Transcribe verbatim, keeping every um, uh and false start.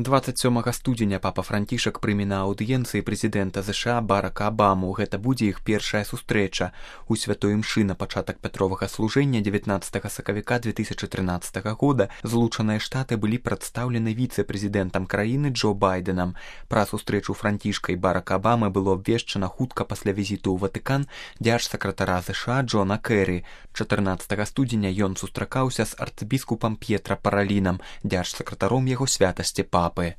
дваццаць сёмага студзеня папа Францішак прыме на аўдыенцыі прэзідэнта ЗША Барака Абаму. Гэта будзе іх першая сустрэча. У святой імшы на пачатак пятровага служэння дзевятнаццатага сакавіка две тысячы трынаццатага года Злучаныя Штаты былі прадстаўлены віцэ-прэзідэнтам краіны Джо Байдэнам. Пра сустрэчу Францішка і Барака Абамы было абвешчана хутка пасля візіту ў Ватыкан дзяржсакратара ЗША Джона Кэры. чатырнаццатага студзеня ён сустракаўся з арцыбіскупам П'етра Паралінам, дзяржсакратаром яго святасці папы.